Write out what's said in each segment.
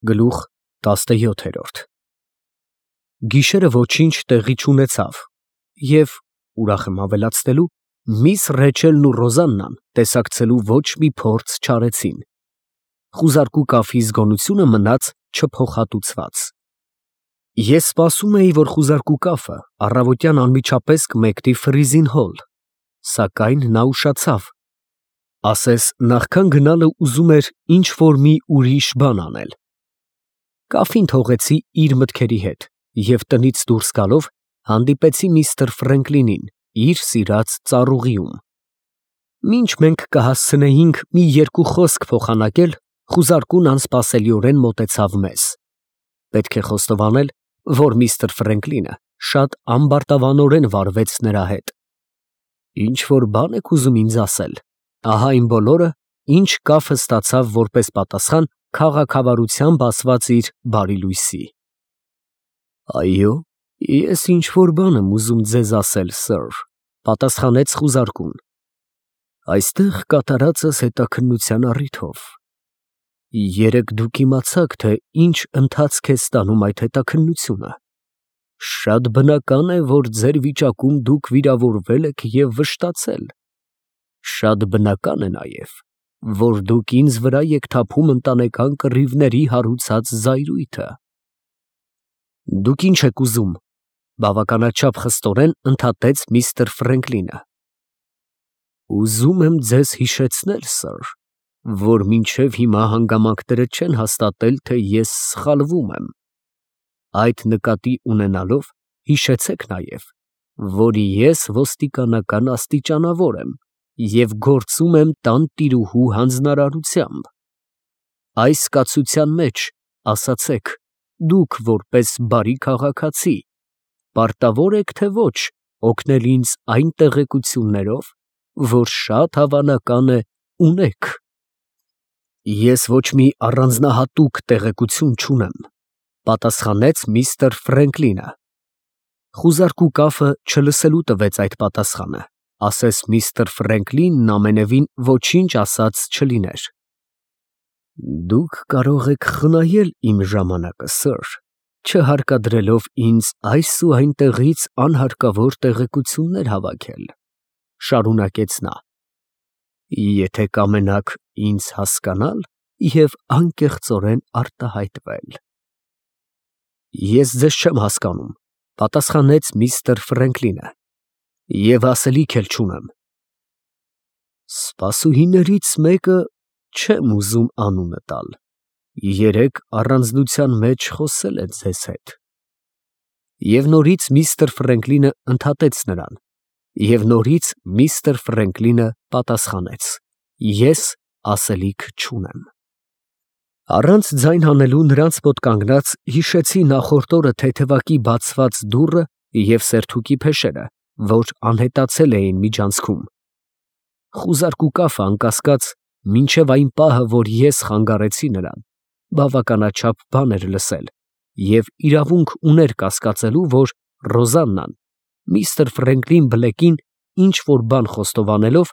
Գլուխ 17 Գիշերը ոչինչ տեղի չունեցավ և, ուրախ եմ ավելացնելու, միս Ռեչելն ու Ռոզաննան տեսակցելու ոչ մի փորձ չարեցին. խուզարկու կափի զգոնությունը մնաց չփոխհատուցված։ Ես սպասում էի, որ խուզարկու կափը առավոտյան անմիջապես կմեկնի Ֆրիզին հոլ, սակայն նա ուշացավ, ասես նախքան գնալը ուզում էր ինչ֊որ մի ուրիշ բան անել։ Կափին թողեցի իր մտքերի հետ և տնից դուրս գալով հանդիպեցի միստր Ֆրենկլինին իր սիրած ծառուղիում։ Մինչ մենք կհասցնեինք մի երկու խոսք փոխանակել, խուզարկուն անսպասելիորեն մոտեցավ մեզ։ Պետք է խոստովանել, որ միստր Ֆրենկլինը շատ ամբարտավանորեն վարվեց նրա հետ։ Ինչ֊որ բան եք ուզում ինձ ասել, ահա այն բոլորը, ինչ կափը ստացավ որպես պատասխան քաղաքավարությամբ ասված իր բարի լույսի։ Այո, ես ինչ֊որ բան եմ ուզում ձեզ ասել, սըր, պատասխանեց խուզարկուն։ Այստեղ կատարածս հետաքննության առիթով։ Երեկ դուք իմացաք, թե ինչ ընթացք է ստանում այդ հետաքննությունը։ Շատ բնական է, որ ձեր վիճակում դուք վիրավորվել եք և վշտացել։ Շատ բնական է նաև, որ դուք ինձ վրա եք թափում ընտանեկան կռիվների հարուցած զայրույթը։ Դուք ինչ եք ուզում, բավականաչափ խստորեն ընդհատեց միստր Ֆրենկլինը։ Ուզում եմ ձեզ հիշեցնել, սըր, որ մինչև հիմա հանգամանքները չեն հաստատել, թե ես սխալվում եմ։ Այդ նկատի ունենալով հիշեցեք նաև, որ ես ոստիկանական աստիճանավոր եմ և գործում եմ տանտիրուհու հանձնարարությամբ։ Այս կացության մեջ, ասացեք, դուք որպես բարի քաղաքացի, պարտավոր եք թե ոչ օգնել ինձ այն տեղեկություններով, որ շատ հավանական է ունեք։ Ես ոչ մի առանձնահատուկ տեղեկություն չունեմ, պատասխանեց միստր Ֆրենկլինը։ Խուզարկու կափը չլսելու տվեց այդ պատասխանը, ասես միստր Ֆրենկլինն ամենևին ոչինչ ասած չլիներ։ Դուք կարող եք խնայել իմ ժամանակը, սըր, չհարկադրելով ինձ այս ու այնտեղից անհարկավոր տեղեկություններ հավաքել, շարունակեց նա, եթե կամենաք ինձ հասկանալ և անկեղծորեն արտահայտվել։ Ես ձեզ չեմ հասկանում, պատասխանեց միստր Ֆրենկլինը, և ասելիք էլ չունեմ։ Սպասուհիներից մեկը չեմ ուզում անունը տալ, երեկ առանձնության մեջ խոսել է ձեզ հետ։ Եվ նորից միստր Ֆրենկլինը ընդհատեց նրան, և նորից միստր Ֆրենկլինը պատասխանեց. Ես ասելիք չունեմ։ Առանց ձայն հանելու նրանց մոտ կանգնած հիշեցի նախորդ օրը թեթևակի բացված դուռը և սերթուկի փեշերը, որ անհետացել էին միջանցքում։ Խուզարկու կափը, անկասկած, մինչև այն պահը, որ ես խանգարեցի նրան, բավականաչափ բան էր լսել և իրավունք ուներ կասկածելու, որ Ռոզաննան միստր Ֆրենկլին Բլեկին ինչ֊որ բան խոստովանելով,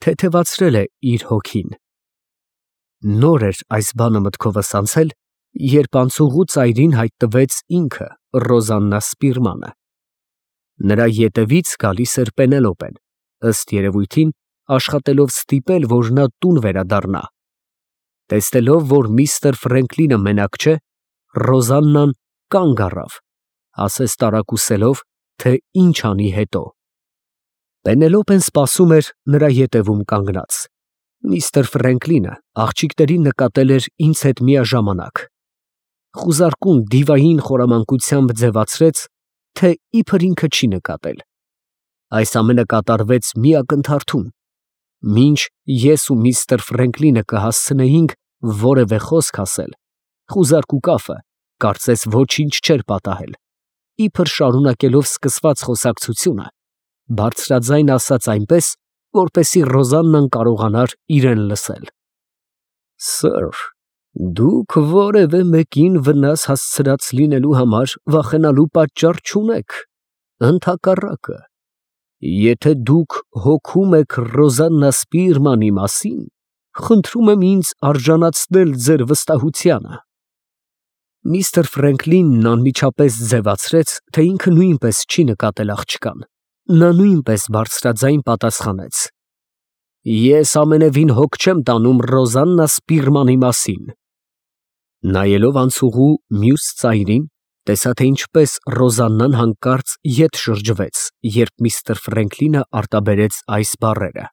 թեթևացրել է իր հոգին։ Նոր էր այս բանը մտքովս անցել, երբ անցուղու ծայրին հայտնվեց ինքը Ռոզաննա Սպիրմանը։ Նրա ետևից գալիս էր Պենելոպեն, ըստ երևույթին, աշխատելով ստիպել, որ նա տուն վերադառնա։ Տեսնելով, որ միստր Ֆրենկլինը մենակ չէ, Ռոզաննան կանգ առավ, ասես տարակուսելով, թե ինչ անի հետո։ Պենելոպեն սպասում էր նրա ետևում կանգնած։ Միստր Ֆրենկլինը աղջիկներին նկատել էր ինձ հետ միաժամանակ։ Խուզարկուն դիվային խորամանկությամբ ձևացրեց, թե իբր ինքը չի նկատել։ Այս ամենը կատարվեց մի ակնթարթում, մինչ ես ու միստր Ֆրենկլինը կհասցնեինք որևէ խոսք ասել, խուզարկու կափը կարծես ոչինչ չէր պատահել, իբր շարունակելով սկսված խոսակցությունը, բարձրաձայն ասաց այնպես, որպեսզի Ռոզաննան կարողանար իրեն լսել։ Սըր, դուք որևէ մեկին վնաս հասցրած լինելու համար վախենալու պատճառ չունեք, ընդհակառակը, եթե դուք հոգում եք Ռոզաննա Սպիրմանի մասին, խնդրում եմ ինձ արժանացնել ձեր վստահությանը։ Միստր Ֆրենկլինն անմիջապես ձևացրեց, թե ինքը նույնպես չի նկատել աղջկան։ Նա նույնպես բարձրաձայն պատասխանեց. «Ես ամենևին հոգ չեմ տանում Ռոզաննա Սպիրմանի մասին»։ Նայելով անցուղու մյուս ծայրին, տեսա, թե ինչպես Ռոզաննան հանկարծ ետ շրջվեց, երբ միստր Ֆրենկլինը արտաբերեց այս բառերը։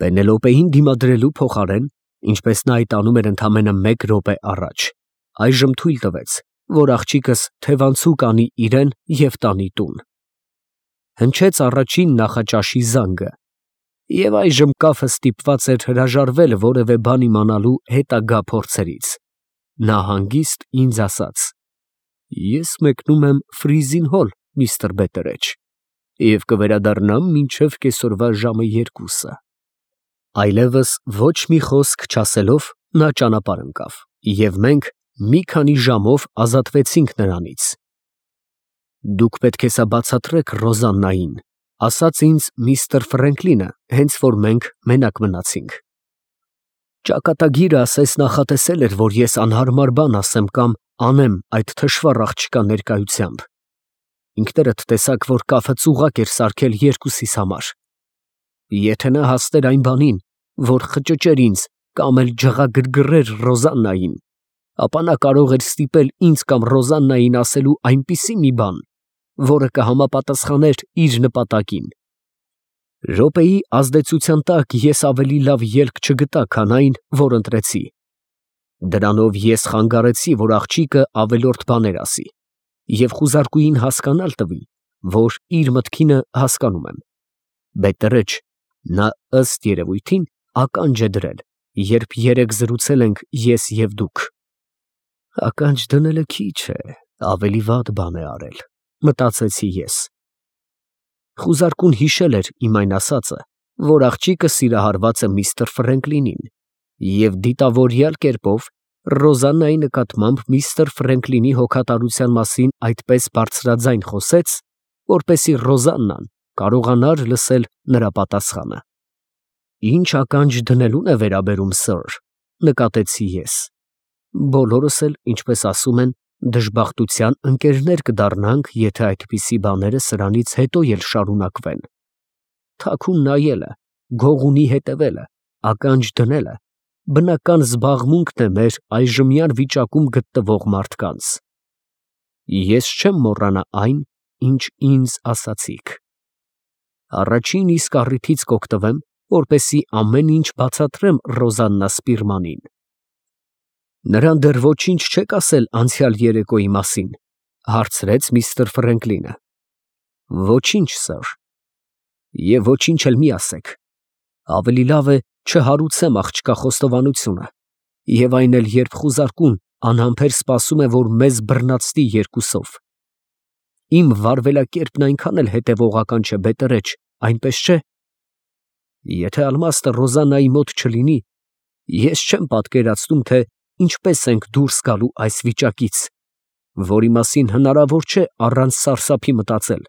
Պենելոպեին դիմադրելու փոխարեն, ինչպես նա այդ անում էր ընդամենը 1 րոպե առաջ, այժմ թույլ տվեց, որ աղջիկս թևանցուկ անի իրեն և տանի տուն։ Հնչեց առաջին նախաճաշի զանգը, և այժմ կաֆը ստիպված էր հրաժարվել որևէ բան իմանալու հետագա փորձերից։ Նա հանգիստ ինձ ասաց. «Ես մեկնում եմ Ֆրիզին Հոլ, միստր Բետերեջ, և կվերադառնամ մինչև կեսօրվա ժամը 2-ը»։ Այլևս ոչ մի խոսք չասելով, նա ճանապարհ ընկավ, և մենք մի քանի ժամով ազատվեցինք նրանից։ «Դուք պետք է սա բացատրեք Ռոզաննային», ասաց ինձ միստր Ֆրենկլինը, հենց որ մենք մենակ մնացինք։ Ճակատագիրը ասես նախատեսել էր, որ ես անհարմար բան ասեմ կամ անեմ այդ թշվառ աղջկա ներկայությամբ։ Ինքներդ տեսաք, որ կաֆը ծուղակ էր սարքել 2-իս համար։ Եթե նա հասներ այն բանին, որ խճճեր ինձ կամ էլ ջղագրգռեր Ռոզաննային, ապա նա կարող էր ստիպել ինձ կամ Ռոզաննային ասելու այնպիսի մի բան, որը կհամապատասխաներ իր նպատակին։ Րոպեի ազդեցության տակ ես ավելի լավ ելք չգտա, քան այն, որ ընտրեցի։ Դրանով ես խանգարեցի, որ աղջիկը ավելորդ բաներ ասի, և խուզարկուին հասկանալ տվի, որ իր մտքինը հասկանում եմ։ Բետերեջ, նա ըստ երևույթին ականջ է դրել, երբ երեկ զրուցել ենք ես և դուք։ Ականջ դնելը քիչ է, ավելի վատ բան է արել, մտածեցի ես։ Խուզարկուն հիշել էր իմ այն ասածը, որ աղջիկը սիրահարված է միստր Ֆրենկլինին, և դիտավորյալ կերպով Ռոզաննայի նկատմամբ միստր Ֆրենկլինի հոգատարության մասին այդպես բարձրաձայն խոսեց, որպեսզի Ռոզաննան կարողանար լսել նրա պատասխանը։ «Ինչ ականջ դնելուն է վերաբերում, սըր», նկատեցի ես։ «Բոլորս էլ, ինչպես ասում են, դժբախտության ընկերներ կդառնանք, եթե այդպիսի բաները սրանից հետո էլ շարունակվեն։ Թաքուն նայելը, գողունի հետևելը, ականջ դնելը բնական զբաղմունքն է մեր այժմյան վիճակում գտնվող մարդկանց։ Ես չեմ մոռանա այն, ինչ ինձ ասացիք։ Առաջին իսկ առիթից կօգտվեմ, որպեսզի ամեն ինչ բացատրեմ Ռոզաննա Սպիրմանին»։ «Նրան դեռ ոչինչ չեք ասել անցյալ երեկոյի մասին», հարցրեց միստր Ֆրենկլինը։ «Ոչինչ, սըր»։ «Եվ ոչինչ էլ մի ասեք։ Ավելի լավ է չհարուցեմ աղջկա խոստովանությունը, և այն էլ, երբ խուզարկուն անհամբեր սպասում է, որ մեզ բռնացնի երկուսով։ Իմ վարվելակերպն այնքան էլ հետևողական չէ, Բետերեջ, այնպես չէ։ Եթե ալմաստը Ռոզաննայի մոտ չլինի, ես չեմ պատկերացնում, թե ինչպես ենք դուրս գալու այս վիճակից, որի մասին հնարավոր չէ առանց սարսափի մտածել։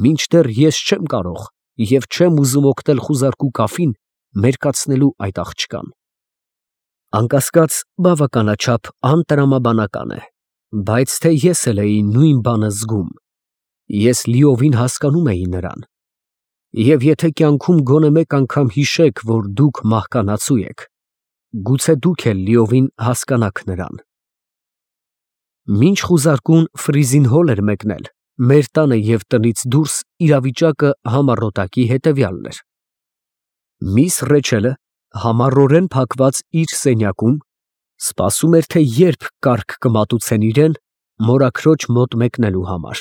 Մինչդեռ ես չեմ կարող և չեմ ուզում օգնել խուզարկու կաֆին մերկացնելու այդ աղջկան։ Անկասկած, բավականաչափ անտրամաբանական է, բայց թե ես էլ էի նույն բանը զգում։ Ես լիովին հասկանում էի նրան։ Եվ եթե կյանքում գոնե մեկ անգամ հիշեք, որ դուք մահկանացու եք, գուցե դուք էլ լիովին հասկանաք նրան։ Մինչ խուզարկուն Ֆրիզին Հոլ էր մեկնել, մեր տանը և տնից դուրս իրավիճակը համառոտակի հետևյալն էր. Միս Ռեչելը համառորեն փակված իր սենյակում սպասում էր, թե երբ կառք կմատուցեն իրան մորաքրոջ մոտ մեկնելու համար։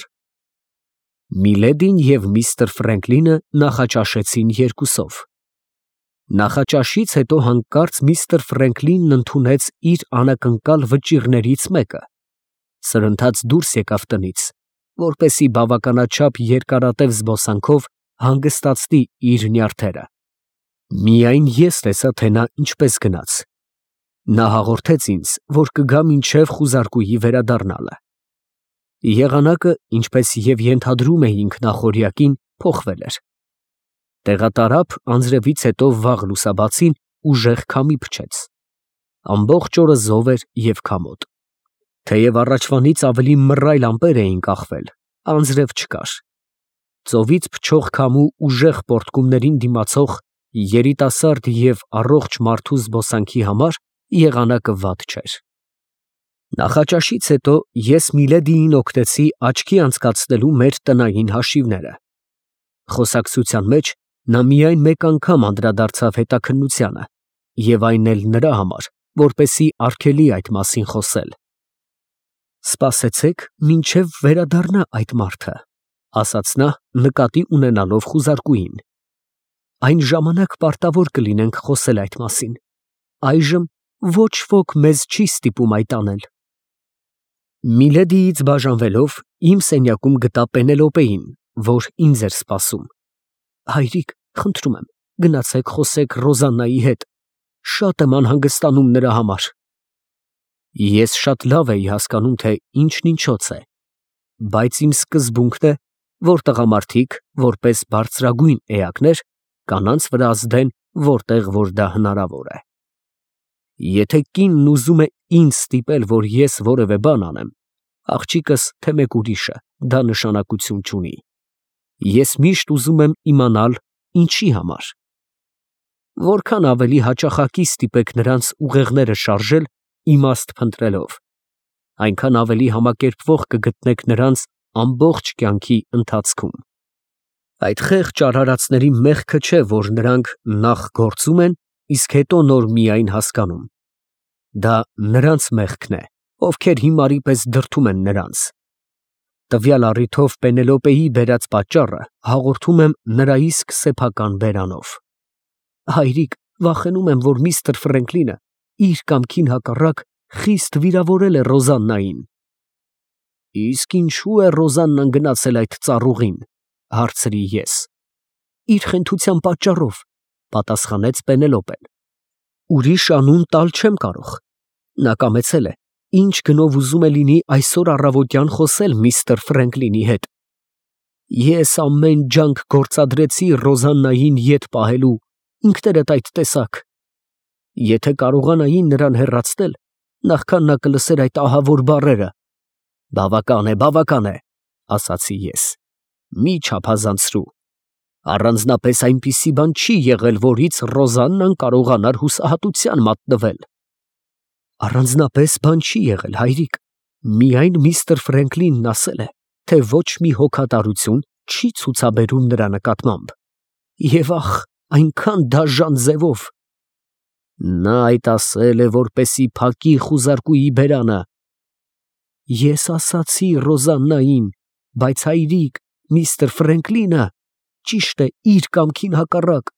Միլեդին և միստր Ֆրենկլինը նախաճաշեցին երկուսով։ Նախաճաշից հետո հանկարծ միստր Ֆրենկլինն ընդունեց իր անակնկալ վճիռներից մեկը, սրընթաց դուրս եկավ տնից, որպեսզի բավականաչափ երկարատև զբոսանքով հանգստացնի իր նյարդերը։ Միայն ես տեսա, թե նա ինչպես գնաց։ Նա հաղորդեց ինձ, որ կգա մինչև խուզարկուի վերադառնալը։ Եղանակը, ինչպես և ենթադրում էինք նախօրյակին, փոխվել էր։ Տեղատարափ անձրևից հետո վաղ լուսաբացին ուժեղ քամի փչեց։ Ամբողջ օրը զով էր և քամոտ։ Թեև առաջվանից ավելի մռայլ ամպեր էին կախվել, անձրև չկար։ Ծովից փչող քամու ուժեղ պոռթկումներին դիմացող երիտասարդ և առողջ մարդու զբոսանքի համար եղանակը վատ չէր։ Նախաճաշից հետո ես Միլեդիին օգնեցի աչքի անցկացնելու մեր տնային հաշիվները։ Խոսակցության մեջ նա միայն մեկ անգամ անդրադարձավ հետաքննությանը, և այն էլ նրա համար, որպեսզի արգելի այդ մասին խոսել։ «Սպասեցեք, մինչև վերադառնա այդ մարդը», ֊ ասաց նա, նկատի ունենալով խուզարկուին։ «Այն ժամանակ պարտավոր կլինենք խոսել այդ մասին. այժմ ոչ ոք մեզ չի ստիպում այդ անել»։ Միլեդիից բաժանվելով, իմ սենյակում գտա Պենելոպեին, որ ինձ էր սպասում։ «Հայրիկ, խնդրում եմ, գնացեք խոսեք Ռոզաննայի հետ. շատ եմ անհանգստանում նրա համար»։ Ես շատ լավ էի հասկանում, թե ինչն ինչոց է, բայց իմ սկզբունքն է, որ տղամարդիկ, որպես բարձրագույն էակներ, կանանց վրա ազդեն, որտեղ որ դա հնարավոր է։ Եթե կինն ուզում է ինձ ստիպել, որ ես որևէ բան անեմ, աղջիկս, թե մեկ ուրիշը, դա նշանակություն չունի։ Ես միշտ ուզում եմ իմանալ ինչի համար։ Որքան ավելի հաճախակի ստիպեք նրանց ուղեղները շարժել, իմաստ փնտրելով, այնքան ավելի համակերպվող կգտնեք նրանց ամբողջ կյանքի ընթացքում։ Այդ խեղճ արարածների մեղքը չէ, որ նրանք նախ գործում են, իսկ հետո նոր միայն հասկանում։ Դա նրանց մեղքն է, ովքեր հիմարի պես դրդում են նրանց։ Տվյալ առիթով Պենելոպեի բերած պատճառը հաղորդում եմ նրա իսկ սեփական բերանով։ Հայրիկ, վախենում եմ, որ միստր Ֆրենկլինը իր կամքին հակառակ խիստ վիրավորել է Ռոզաննային։ Իսկ ինչու է Ռոզաննան գնացել այդ ծառուղին, հարցրի ես։ Իր խենթության պատճառով, պատասխանեց Պենելոպեն։ Ուրիշ անուն տալ չեմ կարող։ Նա կամեցել է, ինչ գնով ուզում է լինի այսօր առավոտյան խոսել միստր Ֆրենկլինի հետ։ Ես ամեն ջանք գործադրեցի Ռոզաննային ետ պահելու, ինքներդ այդ տեսաք։ Եթե կարողանայի նրան հեռացնել, նախքան նա կլսեր այդ ահավոր բառերը։ Բավական է, ասացի ես։ Մի չափազանցրու։ Առանձնապես այնպիսի բան չի եղել, որից Ռոզաննան կարողանար հուսահատության մատնվել։ Առանձնապես բան չի եղել, հայրիկ։ Միայն միստր Ֆրենկլինն ասել է, թե ոչ մի հոգատարություն չի ցուցաբերում նրա նկատմամբ։ Եվ ախ, այնքան դաժան ձևով։ Նա այդ ասել է, որպեսի փակի խուզարկուի բերանը։ Ես ասացի Ռոզաննային, բայց հայրիկ, միստր Ֆրենկլինը, ճիշտ է, իր կամքին հակառակ,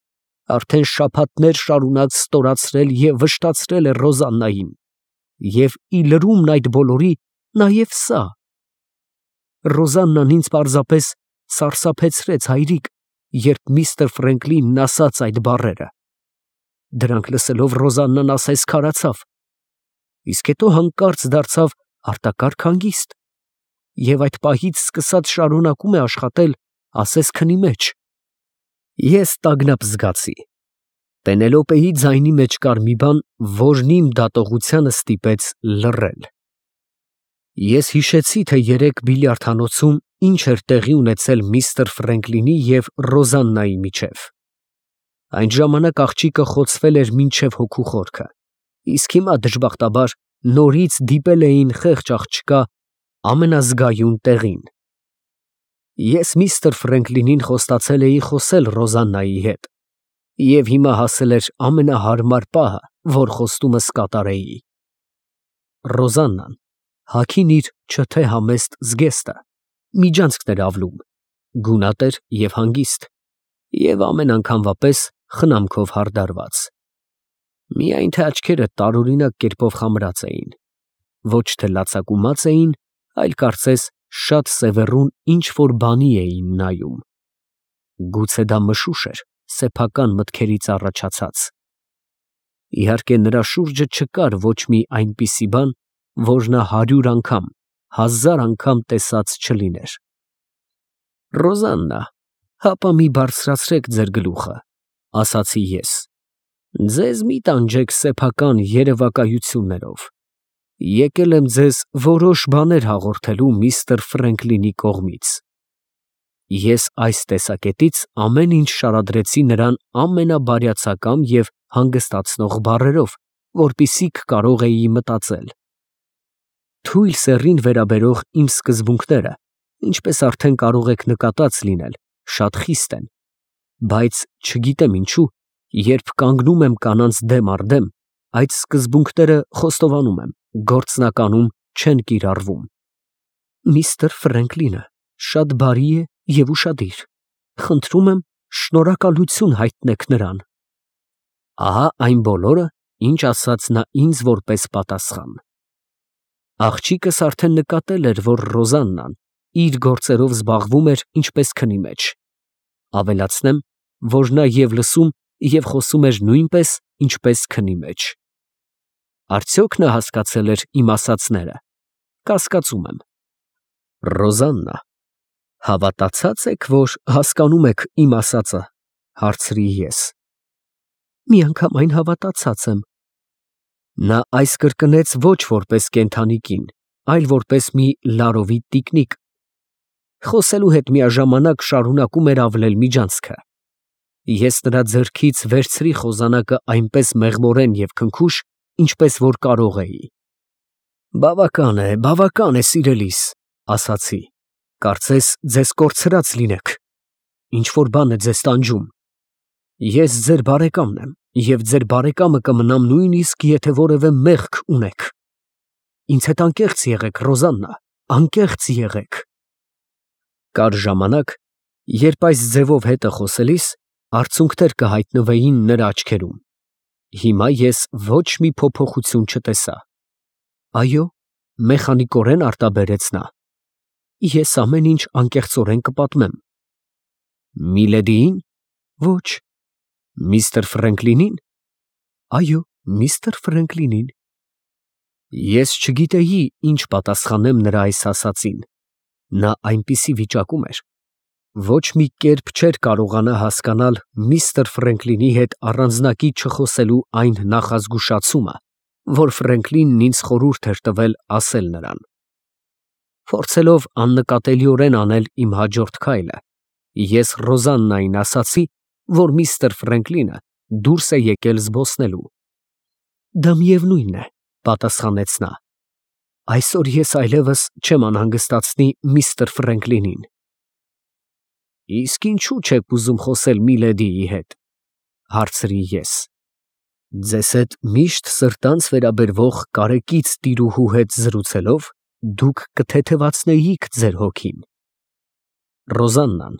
արդեն շաբաթներ շարունակ ստորացրել և վշտացրել է Ռոզաննային։ Եվ ի լրումն այդ բոլորի, նաև սա։ Ռոզաննան ինձ պարզապես սարսափեցրեց, հայրիկ, երբ միստր Ֆրենկլինն ասաց այդ բառերը։ Դրանք լսելով Ռոզաննան ասես քարացավ, իսկ հետո հանկարծ դարձավ արտակարգ հանգիստ, և այդ պահից սկսած շարունակում է աշխատել, ասես քնի մեջ։ Ես տագնապ զգացի։ Պենելոպեի ձայնի մեջ կար մի բան, որն իմ դատողությանը ստիպեց լռել։ Ես հիշեցի, թե երեկ բիլիարդհանոցում ինչ էր տեղի ունեցել միստր Ֆրենկլինի և Ռոզաննայի միջև։ Այն ժամանակ աղջիկը խոցվել էր մինչև հոգու խորքը, իսկ հիմա դժբախտաբար նորից դիպել էին խեղճ աղջկա ամենազգայուն տեղին։ Ես միստր Ֆրենկլինին խոստացել էի խոսել Ռոզաննայի հետ, և հիմա հասել էր ամենահարմար պահը, որ խոստումս կատարեի։ Ռոզաննան, հագին իր չթե համեստ զգեստը, միջանցքն էր ավլում, գունատ էր և հանգիստ, և ամեն անգամվա պես խնամքով հարդարված։ Միայն թե աչքերը տարօրինակ կերպով խամրած էին, ոչ թե լացակումած էին, այլ կարծես շատ սևեռուն ինչ֊որ բանի էին նայում։ Գուցե դա մշուշ էր սեփական մտքերից առաջացած։ Իհարկե նրա շուրջը չկար ոչ մի այնպիսի բան, որ նա 100 անգամ, 1000 անգամ տեսած չլիներ։ Ռոզաննա, հապա մի բարձրացրեք ձեր գլուխը, ասացի ես։ Ձեզ մի տանջեք սեփական երևակայություններով։ Եկել եմ ձեզ որոշ բաներ հաղորդելու միստր Ֆրենկլինի կողմից։ Ես այս տեսակետից ամեն ինչ շարադրեցի նրան ամենաբարյացակամ և հանգստացնող բառերով, որպեսզի կարող էի մտածել։ Թույլ սեռին վերաբերող իմ սկզբունքները, ինչպես արդեն կարող եք նկատած լինել, շատ խիստ են, բայց չգիտեմ ինչու, երբ կանգնում եմ կանանց դեմ առ դեմ, այդ սկզբունքները խոստովանում եմ, գործնականում չեն կիրառվում։ Միստր Ֆրենկլինը շատ բարի է և ուշադիր, խնդրում եմ շնորհակալություն հայտնեք նրան։ Ահա այն բոլորը, ինչ ասաց նա ինձ որպես պատասխան։ Աղջիկս արդեն նկատել էր, որ Ռոզաննան իր գործերով զբաղվում էր ինչպես քնի մեջ։ Ավելացնեմ, որ նա և լսում, և խոսում էր նույնպես, ինչպես քնի մեջ։ Արդյոք նա հասկացել էր իմ ասածները։ Կասկածում եմ։ Ռոզաննա, հավատացած եք, որ հասկանում եք իմ ասածը, հարցրի ես։ Միանգամայն հավատացած եմ։ Նա այս կրկնեց ոչ որպես կենդանի կին, այլ որպես մի լարովի տիկնիկ։ Խոսելու հետ միաժամանակ շարունակում էր ավլել միջանցքը։ Ես նրա ձեռքից վերցրի խոզանակը այնպես մեղմորեն և քնքուշ, ինչպես որ կարող էի։ Բավական է, սիրելիս, ասացի, կարծես ձեզ կորցրած լինեք, ինչ֊որ բան է ձեզ տանջում։ Ես ձեր բարեկամն եմ, և ձեր բարեկամը կմնամ նույնիսկ, եթե որևէ մեղք ունեք։ Ինձ հետ անկեղծ եղեք, Ռոզաննա, անկեղծ եղեք։ Կար ժամանակ, երբ այս ձևով հետը խոսելիս արցունքներ կհայտնվեին նրա աչքերում։ Հիմա ես ոչ մի փոփոխություն չտեսա։ Այո, մեխանիկորեն արտաբերեց նա։ Ես ամեն ինչ անկեղծորեն կպատմեմ։ Միլեդիին։ Ոչ։ Միստր Ֆրենկլինին։ Այո, միստր Ֆրենկլինին։ Ես չգիտեի, ինչ պատասխանեմ նրա այս ասածին։ Նա այնպիսի վիճակում էր։ Ոչ մի կերպ չէր կարողանա հասկանալ միստր Ֆրենկլինի հետ առանձնակի չխոսելու այն նախազգուշացումը, որ Ֆրենկլինն ինձ խորհուրդ էր տվել ասել նրան։ Փորձելով աննկատելիորեն անել իմ հաջորդ քայլը, ես Ռոզաննային ասացի, որ միստր Ֆրենկլինը դուրս է եկել զբոսնելու։ Դա միևնույն է, պատասխանեց նա։ Այսօր ես այլևս չեմ անհանգստացնի միստր Ֆրենկլինին։ Իսկ ինչու չեք ուզում խոսել Միլեդիի հետ, հարցրի ես։ Ձեզ հետ միշտ սրտանց վերաբերվող կարեկից տիրուհու հետ զրուցելով դուք կթեթևացնեիք ձեր հոգին։ Ռոզաննան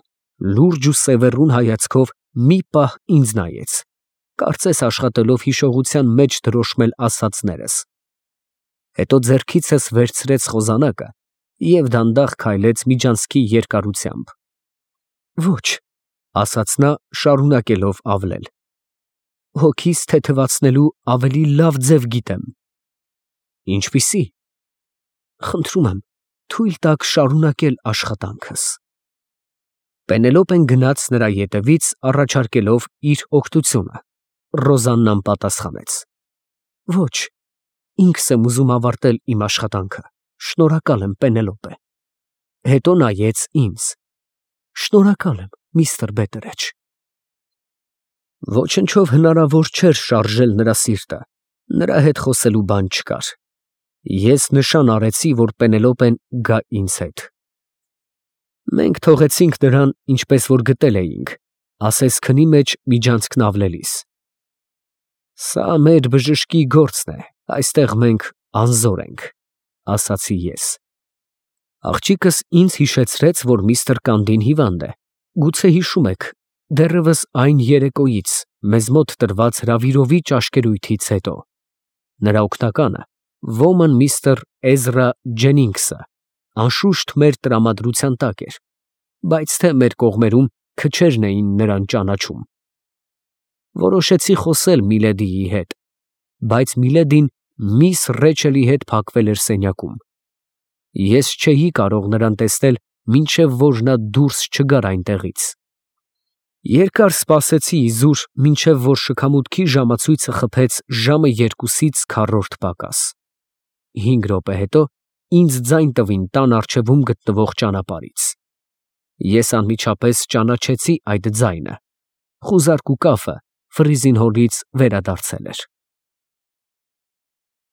լուրջ ու սևեռուն հայացքով մի պահ ինձ նայեց, կարծես աշխատելով հիշողության մեջ դրոշմել ասածներս։ Հետո ձեռքիցս վերցրեց խոզանակը և դանդաղ քայլեց միջանցքի երկարությամբ։ Ոչ, ասաց նա, շարունակելով ավլել։ Հոգիս թեթևացնելու ավելի լավ ձև գիտեմ։ Ինչպիսի։ Խնդրում եմ, թույլ տաք շարունակել աշխատանքս։ Պենելոպեն գնաց նրա ետևից, առաջարկելով իր օգնությունը։ Ռոզաննան պատասխանեց. Ոչ, ինքս եմ ուզում ավարտել իմ աշխատանքը։ Շնորհակալ եմ, Պենելոպե։ Հետո նայեց ինձ. Շնորհակալ եմ, միստր Բետերեջ։ Ոչնչով հնարավոր չէր շարժել նրա սիրտը, նրա հետ խոսելու բան չկար։ Ես նշան արեցի, որ Պենելոպեն գա ինձ հետ։ Մենք թողեցինք նրան, ինչպես որ գտել էինք, ասես քնի մեջ միջանցքն ավլելիս։ Սա մեր բժշկի գործն է, այստեղ մենք անզոր ենք, ասացի ես։ Աղջիկս ինձ հիշեցրեց, որ միստր Կանդին հիվանդ է։ Գուցե հիշում եք, դեռևս այն երեկոյից մեզ մոտ տրված հրավիրովի ճաշկերույթից հետո։ Նրա օգնականը, ոմն միստր Էզրա Ջենինգսը, անշուշտ մեր տրամադրության տակ էր, բայց թե մեր կողմերում քչերն էին նրան ճանաչում։ Որոշեցի խոսել Միլեդիի հետ, բայց Միլեդին միս Ռեչելի հետ փակվել էր սենյակում։ Ես չէի կարող նրան տեսնել, մինչև որ նա դուրս չգար այնտեղից։ Երկար սպասեցի իզուր, մինչև որ շքամուտքի ժամացույցը խփեց ժամը 2-ից քառորդ պակաս։ 5 րոպե հետո ինձ ձայն տվին տան առջևում գտնվող ճանապարհից։ Ես անմիջապես ճանաչեցի այդ ձայնը. խուզարկու կափը Ֆրիզին հոլից վերադարձել էր։